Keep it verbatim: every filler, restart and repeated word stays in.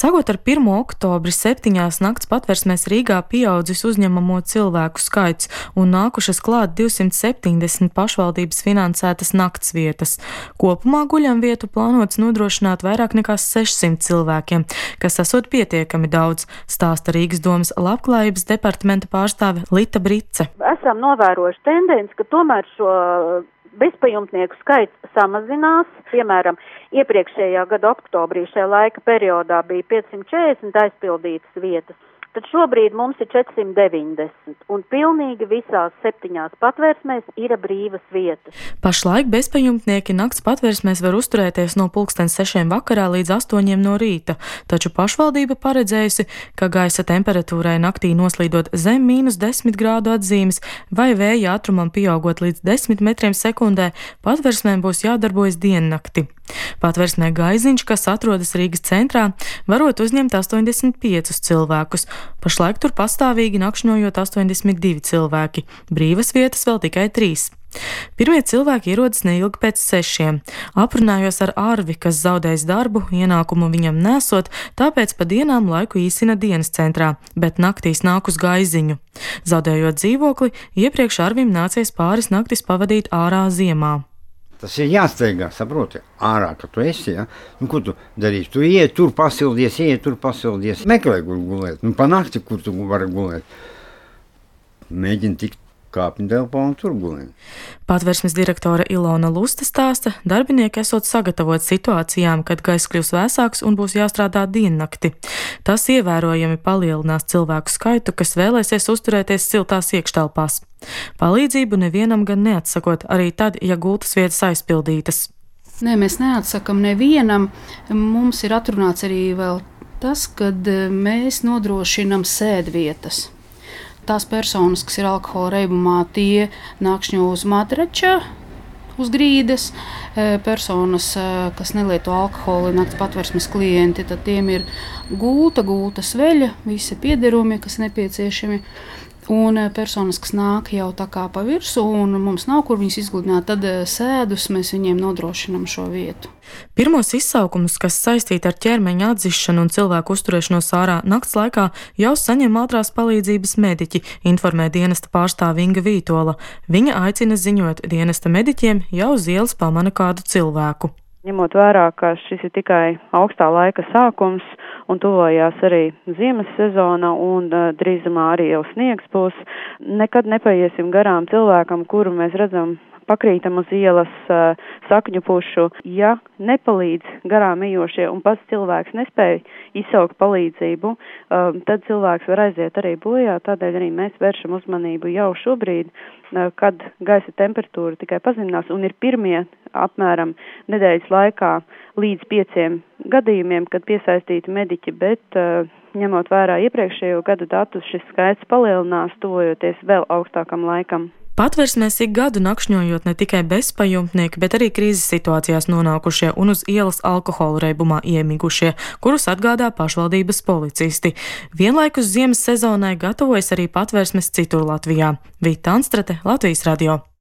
Sākot ar pirmo oktobri septiņās nakts patversmēs Rīgā pieaudzis uzņemamo cilvēku skaits un nākušas klāt divsimt septiņdesmit pašvaldības finansētas naktsvietas. Kopumā guļamvietu plānots nodrošināt vairāk nekā sešsimt cilvēkiem, kas esot pietiekami daudz, stāsta Rīgas domas labklājības departamenta pārstāve Lita Brice. Esam novērojuši tendenci, ka tomēr šo bezpajumtnieku skaits samazinās. Piemēram, iepriekšējā gada oktobrī šajā laika periodā bija piecsimt četrdesmit aizpildītas vietas. Tad šobrīd mums ir četrsimt deviņdesmit, un pilnīgi visās septiņās patvērsmēs ir brīvas vietas. Pašlaik bezpajumtnieki nakts patvērsmēs var uzturēties no pulksten sešiem vakarā līdz astoņiem no rīta, taču pašvaldība paredzējusi, ka gaisa temperatūrai naktī noslīdot zem mīnus desmit grādu atzīmes vai vēja ātrumam pieaugot līdz desmit metriem sekundē, patvērsmēm būs jādarbojas diennakti. Patvērsmē Gaiziņš, kas atrodas Rīgas centrā, varot uzņemt astoņdesmit piecus cilvēkus. Pašlaik tur pastāvīgi nakšņojot astoņdesmit divi cilvēki, brīvas vietas vēl tikai trīs. Pirmie cilvēki ierodas neilgi pēc sešiem. Aprunājos ar Arvi, kas zaudējis darbu, ienākumu viņam nesot, tāpēc pa dienām laiku īsina dienas centrā, bet naktīs nāk uz Gaiziņu. Zaudējot dzīvokli, iepriekš Arvim nācies pāris naktis pavadīt ārā ziemā. Tas ir jāsteigā, saproti, ārā, ka tu esi, ja? Nu, ko tu darīsi? Tu iet tur pasildies, iet tur pasildies. Meklē, kur gulēt. Nu, pa nakti, kur tu vari gulēt. Mēģini tikt kāpņu telpā un tur gulēt. Patversmes direktore Ilona Luste stāsta, darbinieki esot sagatavot situācijām, kad gaiss kļūs vēsāks un būs jāstrādā diennakti. Tas ievērojami palielinās cilvēku skaitu, kas vēlēsies uzturēties siltās iekštelpās. Palīdzību nevienam gan neatsakot, arī tad, ja gultas vietas aizpildītas. Nē, mēs neatsakam nevienam. Mums ir atrunāts arī vēl tas, kad mēs nodrošinam sēdvietas. Tās personas, kas ir alkohola reibumā, tie nakšņo uz matrača, uz grīdas. Personas, kas nelieto alkoholu, nakts patversmes klienti, tad tiem ir gulta, gulta sveļa, visi piederumi, kas nepieciešami. Un personas, kas nāk jau tā kā pa virsu un mums nav, kur viņus izgludināt, tad sēdus mēs viņiem nodrošinam šo vietu. Pirmos izsaukumus, kas saistīti ar ķermeņa atzišanu un cilvēku uzturēšanos ārā nakts laikā, jau saņem ātrās palīdzības mediķi, informē dienesta pārstāve Inga Vītola. Viņa aicina ziņot dienesta mediķiem, ja uz ielas pamana kādu cilvēku. Ņemot vērā, ka šis ir tikai augstā laika sākums un tuvojās arī ziemas sezona un uh, drīzumā arī jau sniegs būs, nekad nepaiesim garām cilvēkam, kuru mēs redzam pakrītam uz ielas uh, sakņu pušu. Ja nepalīdz garām ejošie un pats cilvēks nespēja izsaukt palīdzību, uh, tad cilvēks var aiziet arī bojā, tādēļ arī mēs vēršam uzmanību jau šobrīd, uh, kad gaisa temperatūra tikai pazeminās un ir pirmie apmēram nedēļas laikā līdz pieciem gadījumiem, kad piesaistīti mediķi, bet uh, ņemot vērā iepriekšējo gadu datus, šis skaits palielinās, tuvojoties vēl augstākam laikam. Patversmēs ik gadu nakšņojot ne tikai bezpajumtnieki, bet arī krīzes situācijās nonākušie un uz ielas alkohola reibumā iemigušie, kurus atgādā pašvaldības policisti. Vienlaikus ziemas sezonai gatavojas arī patversmes citur Latvijā. Vita Anstrate, Latvijas radio.